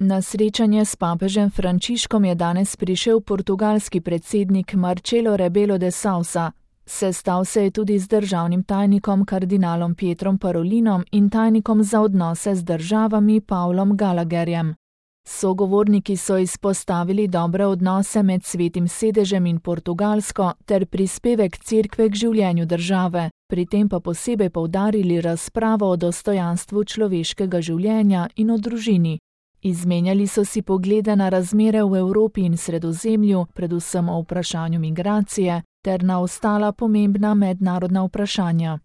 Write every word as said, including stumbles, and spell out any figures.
Na srečanje s papežem Frančiškom je danes prišel portugalski predsednik Marcelo Rebelo de Sousa. Sestal se je tudi z državnim tajnikom kardinalom Pietrom Parolinom in tajnikom za odnose z državami Pavlom Gallagherjem. Sogovorniki so izpostavili dobre odnose med Svetim sedežem in Portugalsko ter prispevek cerkve k življenju države, pri tem pa posebej poudarili razpravo o dostojanstvu človeškega življenja in o družini. Izmenjali so si poglede na razmere v Evropi in Sredozemlju, predvsem o vprašanju migracije, ter na ostala pomembna mednarodna vprašanja.